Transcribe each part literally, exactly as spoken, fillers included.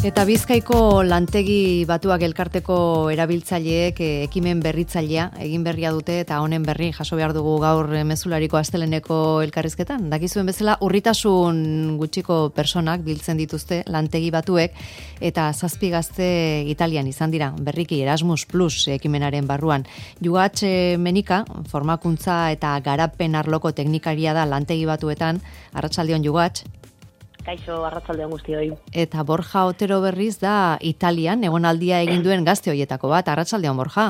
Eta Bizkaiko lantegi batuak elkarteko erabiltzaileek ekimen berritzailea egin berria dute eta honen berri jaso behar dugu gaur mezulariko asteleneko elkarrizketan. Dakizuen bezala urritasun gutxiko personak biltzen dituzte lantegi batuek eta zazpi gazte Italian izan dira. Berriki Erasmus Plus ekimenaren barruan. Jugatx Menika, formakuntza eta garapen arloko teknikaria da lantegi batuetan. Arratsaldeon Jugatx. Kaixo, arratsaldeon guztioi. Eta Borja Otero berriz da Italian egonaldia egin duen gazte hoietako bat. Arratsaldeon Borja.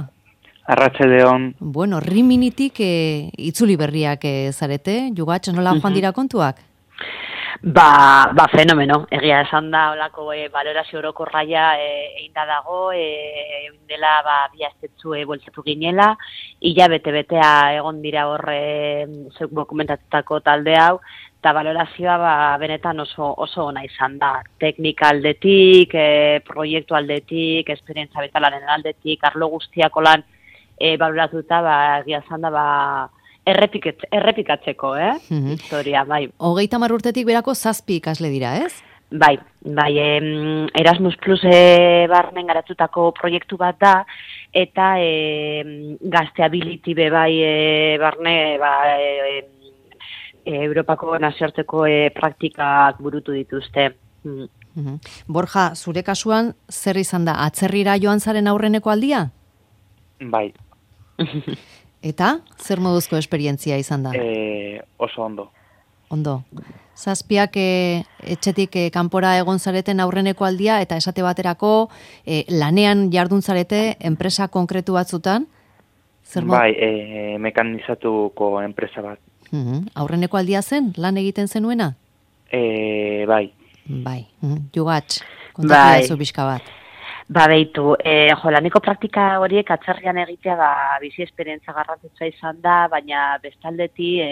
Arratsaldeon. Bueno, Riminitik e, itzuli berriak e, zarete, Jugatx, nola joan dira kontuak? Ba, ba fenomeno. Egia esan da holako e, balorazio orokorraia egin da dago, e, dela ba bi astetzu e, bueltatu ginela, ila bete-betea egon dira hor e, zeuk dokumentatutako talde hau. Eta balorazioa ba, benetan oso, oso ona izan da. Teknika aldetik, e, proiektu aldetik, esperientzia betalaren aldetik, arlo guztiako lan e, baloratuta, ba, egia izan da, ba, errepiket, errepikatzeko, eh? Mm-hmm. Historia, bai. Hogeita hamar urtetik berako zazpi ikasle dira, ez? Bai, bai, em, Erasmus Plus e, barnen garatutako proiektu bat da, eta e, Gazteability be bai e, barne, ba, e, Europako nazioarteko e, praktikak burutu dituzte. Mm. Mm-hmm. Borja, zure kasuan, zer izan da? Atzerrira joan zaren aurreneko aldia? Bai. Eta, zer moduzko esperientzia izan da? E, oso ondo. Ondo. Zazpiak e, etxetik e, kanpora egon zareten aurreneko aldia, eta esate baterako e, lanean jardun zarete enpresa konkretu batzutan? Zer mod... Bai, e, mekanizatuko enpresa bat. Uhum. Aurreneko aldia zen, lan egiten zenuena? E, bai. Bai, uhum. Jugatx, kontatu dazu pixka bat. Ba, behitu, e, jo, laneko praktika horiek atzerrian egitea ba, bizi esperientzia garrantzitsua izan da, baina bestaldeti e,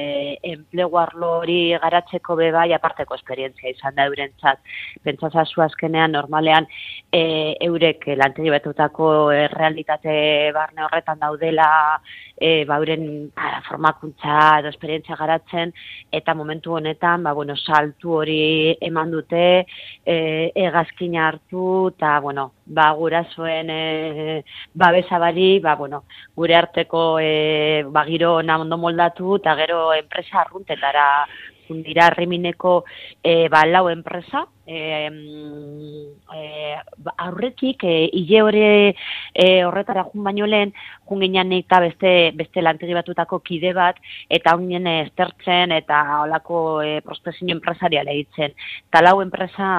enplegu arlo hori garatzeko bebai aparteko esperientzia izan da eurentzat. Pentsazazu azkenean, normalean, e, eurek lantegi batutako e, realitate barne horretan daudela, e, ba, euren ba, formakuntza edo esperientzia garatzen, eta momentu honetan, ba, bueno, saltu hori eman dute, e, egazkina hartu, eta, bueno, ba, gurasoen e, babesabari, ba, bueno, gure arteko e, ba, giro ona ondo moldatu, eta gero enpresa arruntetara dira Rimineko e, ba, lau enpresa, e, e, aurretik e, hile hori e, horretara jun baino lehen, jun ginen eta beste, beste lantegi batutako kide bat, eta honien estertzen eta holako e, prospekzio enpresariala egitzen. Eta lau enpresa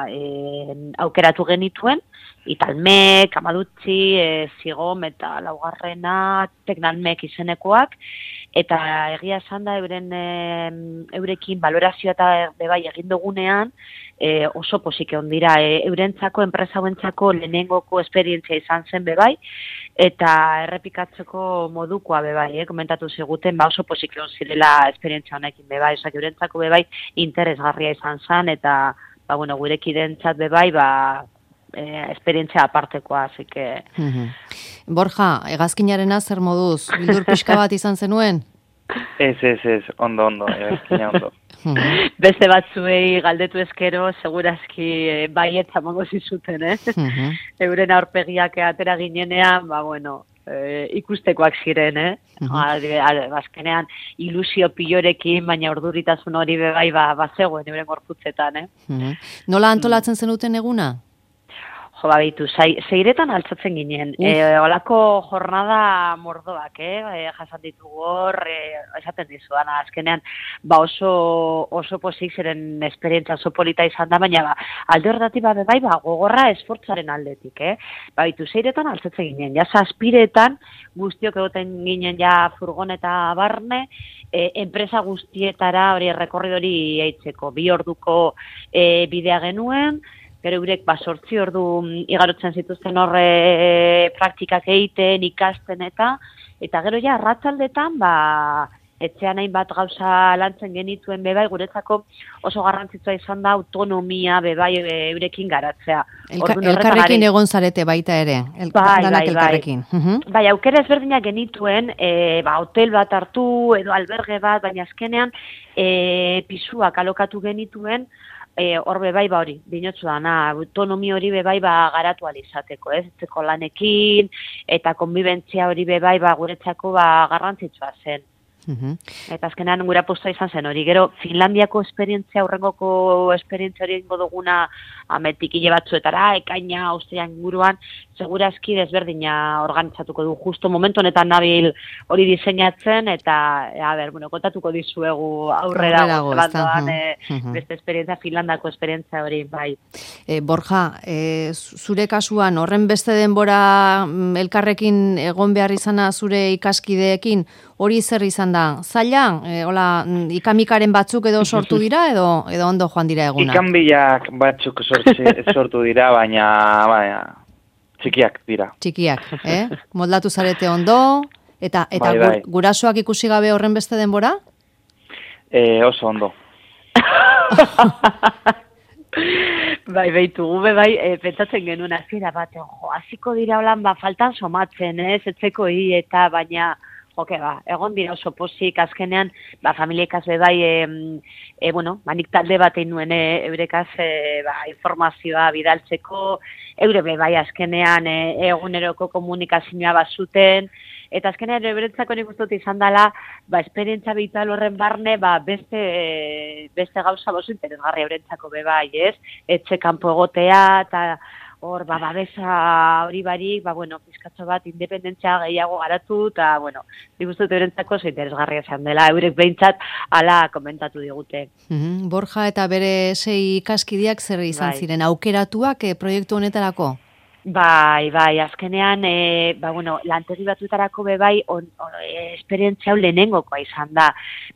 e, aukeratu genituen, Italmek, Amadutzi, e, Zigom eta laugarrena, Teknalmek izenekoak, eta egia esan da euren e, eurekin balorazioa eta bebai egin dugunean e, oso posik egon dira. E, eurentzako, enpresa hauentzako lehenengoko esperientzia izan zen bebai, eta errepikatzeko modukoa bebai, eh? Komentatu ziguten, ba oso posik egon zirela esperientzia honekin bebai, osak eurentzako bebai interesgarria izan zen, eta ba, bueno, gurekidentzat bebai, ba, Eh, esperientzia apartekoa, así que... Mm-hmm. Borja, hegazkinarena zer moduz? Bildur pixka bat izan zenuen? Ez, ez, ez, ondo, ondo, hegazkina ondo. Mm-hmm. Beste batzuei galdetu eskero, segurazki eh, baietza mongo zizuten, eh? Mm-hmm. Euren aurpegiak atera ginenean, ba, bueno, eh, ikustekoak ziren, eh? Mm-hmm. Azkenean ilusio pilorekin, baina orduritasun hori bebai, ba, ba zegoen euren gorputzetan, eh? Mm-hmm. Nola antolatzen zenuten eguna? Jo, babitu, zeiretan altzatzen ginen. E, olako jornada mordoak, eh? E, jasan ditugu hor, e, esaten dizuan, azkenean, ba oso, oso posik ziren esperientzia oso polita izan da, baina ba, alde horretatik ba, bai, ba, gogorra esfortzaren aldetik, eh? Babitu, zeiretan altzatzen ginen, ja zazpiretan, guztiok egoten ginen ja furgoneta barne, e, enpresa guztietara hori rekorridori eitzeko, bi orduko e, bidea genuen, gero eurek ba, sortzi ordu igarotzen zituzten horre praktikak egiten, ikasten eta, eta gero ja, arratsaldetan, ba, etxean hainbat gauza lantzen genituen bebai, guretzako oso garrantzitsua izan da autonomia bebai eurekin garatzea. Elka, elkarrekin egon zarete baita ere, el, bai, danak bai, elkarrekin. Bai, uh-huh. Bai, aukera ezberdinak genituen, e, ba, hotel bat hartu edo alberge bat, baina azkenean e, pisuak alokatu genituen, E, hor bebai ba hori, dinotzu dana, autonomi hori bebai ba garatu alizateko, ez? Etzeko lanekin, eta konbibentzia hori bebai ba guretzako ba garrantzitsua zen. Mhm. Eta azkenean gure aposta izan zen hori. Gero, Finlandiako esperientzia, horrengoko esperientzia hori ingo duguna ametik hile batzuetara, ekaina, austrian inguruan, segurazki desberdina organizatuko du. Justo momentu honetan nabil hori diseinatzen, eta, a ber, bueno, kontatuko dizuegu aurrera gozelandoan e, beste esperientzia, Finlandako esperientzia hori, bai. E, Borja, e, zure kasuan, horren beste denbora elkarrekin egon behar izana zure ikaskideekin, hori zer izan da? Zaila, e, hola, ikamikaren batzuk edo sortu dira, edo edo ondo joan dira egunak? Ikanbilak batzuk sortzi, sortu dira, baina, baina txikiak dira. Txikiak, eh? Moldatu zarete ondo, eta eta bai, bai. gurasoak ikusi gabe horren beste denbora? E, oso ondo. Bai, beitu, gube bai, e, pentsatzen genuen hasiera batean, jo, hasiko dira holan, ba, faltan somatzen, ez, etzeko hi, eta baina, joke, ba, egon dira oso posik, azkenean, ba, familiekaz bai, e, e, bueno, manik talde batein nuen, e, eurekaz, e, ba, informazioa bidaltzeko, eure bai, azkenean, e, eguneroko komunikazioa bazuten, eta azkenean euretzako nik uste dut izan dela, ba, esperientzia vital horren barne, ba, beste, e, beste gauza bozu interesgarri eurentzako bai, ez? Etxe kanpo egotea, eta hor, ba, babesa hori barik, ba, bueno, pizkatxo bat, independentzia gehiago garatu, eta, bueno, nik uste dut eurentzako zo interesgarria izan dela, eurek behintzat ala komentatu digute. Mm-hmm. Borja eta bere sei ikaskideak zer izan bai. ziren, aukeratuak e, proiektu honetarako? Bai, bai, azkenean, e, ba, bueno, lantegi batuetarako be bai, on, on, e, esperientzia hau lehenengokoa izan da.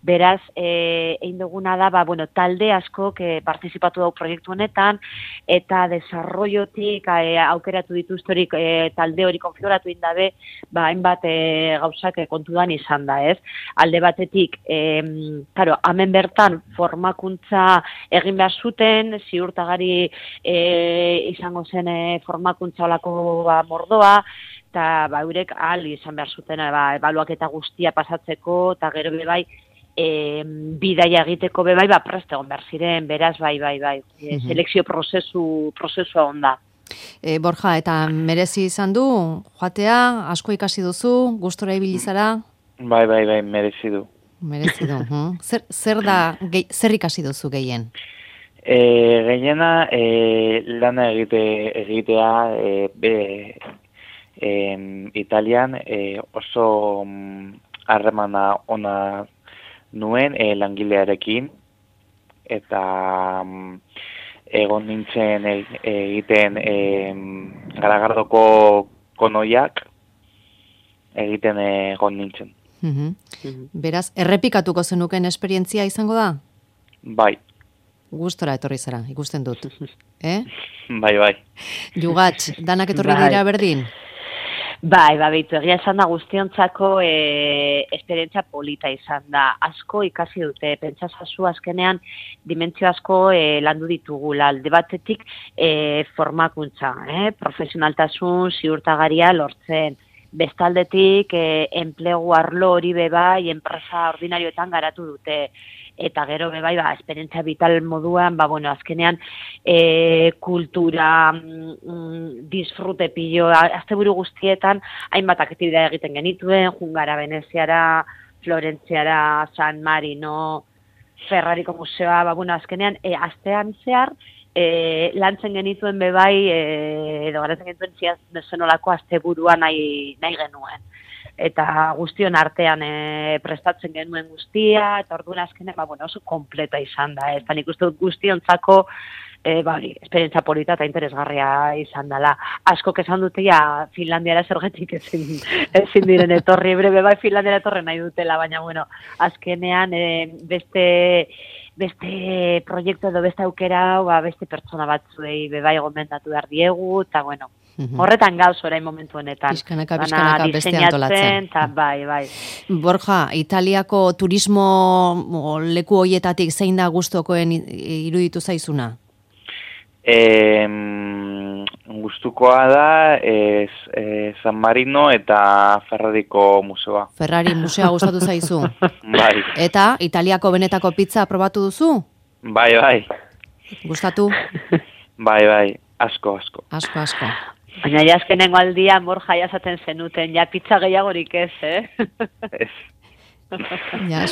Beraz, e, egin duguna da, ba, bueno, talde asko que partizipatu dau proiektu honetan, eta desarrollotik e, aukeratu dituztorik e, talde hori konfiguratu indabe, ba, hainbat e, gauzak e, kontudan izan da, ez? Alde batetik, e, claro, hemen bertan formakuntza egin behar zuten, ziurtagari e, izango zen e, formakuntza olako ba, mordoa, eta ba, eurek ahal izan behar zuten ba, ebaluaketa guztia pasatzeko, eta gero bebai, e, bidaia egiteko bebai, ba, prest egon behar ziren, beraz, bai, bai, bai, e, selekzio prozesu, prozesua onda. E, Borja, eta merezi izan du, joatea, asko ikasi duzu, gustora ibili zara? Bai, bai, bai, merezi du. Merezi du, hm? zer, zer da, ge, zer ikasi duzu gehien? E, gehiena e, lana egite, egitea e, be, e, Italian e, oso harremana ona nuen e, langilearekin, eta um, egon nintzen e, egiten e, Garagardoko konoiak egiten egon nintzen. Mm-hmm. Mm-hmm. Beraz, errepikatuko zenuken esperientzia izango da? Bai. Gustora etorri zara, ikusten dut. Eh? Bai, bai. Jugatx, danak etorri bai. dira berdin? Bai, ba, behitu, egia esan da guztiontzako e, esperientzia polita izan da. Asko ikasi dute, pentsazazu azkenean dimentsio asko e, landu ditugula. Alde batetik e, formakuntza, eh? Profesionaltasun, ziurtagaria lortzen. Bestaldetik, e, enplegu arlo hori bebai, enpresa ordinarioetan garatu dute. Eta gero bebai, ba, esperientzia vital moduan, ba, bueno, azkenean e, kultura, mm, disfrute pillo, asteburu guztietan, hainbat aktibitatea egiten genituen, jungara Veneziara, Florentziara, San Marino, Ferrariko museoa, ba, bueno, azkenean, e, astean zehar, e, lantzen genituen bebai, e, edo garatzen genituen ziaz zenolako asteburua nahi, nahi genuen. Eta guztion artean e, prestatzen genuen guztia, eta orduan azkenean, ba, bueno, oso kompleta izan da, ez da nik uste dut guztiontzako, e, ba, hori, esperientzia polita eta interesgarria izan dela. Askok esan dute, ja, Finlandiara zergetik ezin, ezin diren etorri, brebe, bai, Finlandiara etorri nahi dutela, baina, bueno, azkenean e, beste... beste proiektu edo beste aukera, ba, beste pertsona batzuei bebai gomendatu behar diegu, eta bueno, mm-hmm. horretan gauz orain momentu honetan. Pizkanaka, pizkanaka beste antolatzen. Ta, bai, bai. Borja, Italiako turismo leku hoietatik zein da gustokoen iruditu zaizuna? E, gustukoa da ez, e, San Marino eta Ferrariko museoa. Ferrari musea gustatu zaizu? Bai. Eta Italiako benetako pizza probatu duzu? Bai, bai. Gustatu? Bai, bai, asko, asko. Asko, asko. Baina jaskenengo aldia mor jaiazaten zenuten, ja pizza gehiagorik ez, eh? Ez. Ja,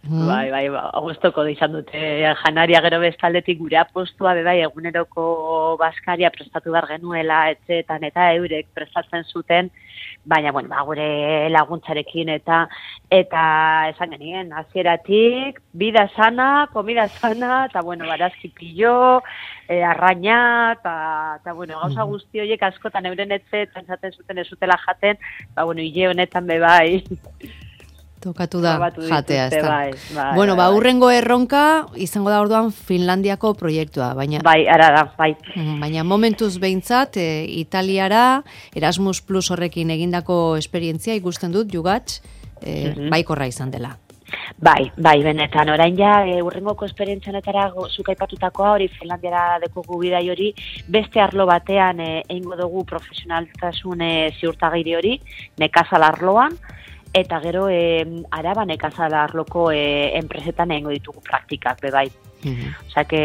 bai, bai, ba, gustoko izan dute janaria gero bestaldetik gure apostua bai eguneroko baskaria prestatu behar genuela etxeetan eta eurek prestatzen zuten, baina bueno, ba, gure laguntzarekin eta eta esan genien hasieratik bida sana, comida sana eta bueno, barazki pillo, e, arraina eta ta bueno, gauza guzti horiek askotan euren etxeetan esaten zuten ez zutela jaten, ba bueno, hile honetan be bai. Tokatu da jatea, ez da. Bai, bai, bueno, ba, bai. urrengo erronka izango da orduan Finlandiako proiektua, baina bai, ara da, bai. Baina momentuz behintzat, e, Italiara, Erasmus Plus horrekin egindako esperientzia ikusten dut, Jugatx, e, Mhm. baikorra izan dela. Bai, bai, benetan, orain ja, e, urrengoko esperientzianetara zuk aipatutakoa hori Finlandiara dekogu bidai hori, beste arlo batean e, eingo dugu profesionaltasun e, ziurtagiri hori, nekazal arloan, eta gero e, araba nekazal arloko e, enpresetan egingo ditugu praktikak, bebai. Mhm. Osea, que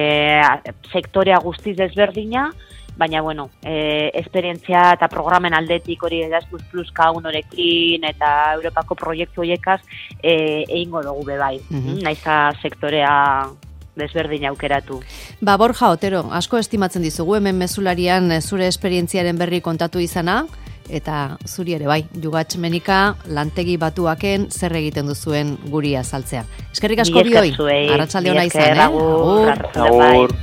sektorea guztiz desberdina, baina, bueno, e, esperientzia eta programen aldetik hori Erasmus Plus kaunorekin eta Europako proiektu horiekaz e, egingo dugu bebai. Mhm. Naiza sektorea desberdin aukeratu. Ba, Borja Otero, asko estimatzen dizugu hemen mezularian zure esperientziaren berri kontatu izana, eta zuri ere bai, Jugatx Menika lantegi batuaken zer egiten duzuen guri azaltzea. Eskerrik asko bioi, arratsalde ona izan, eh? Agur. Agur.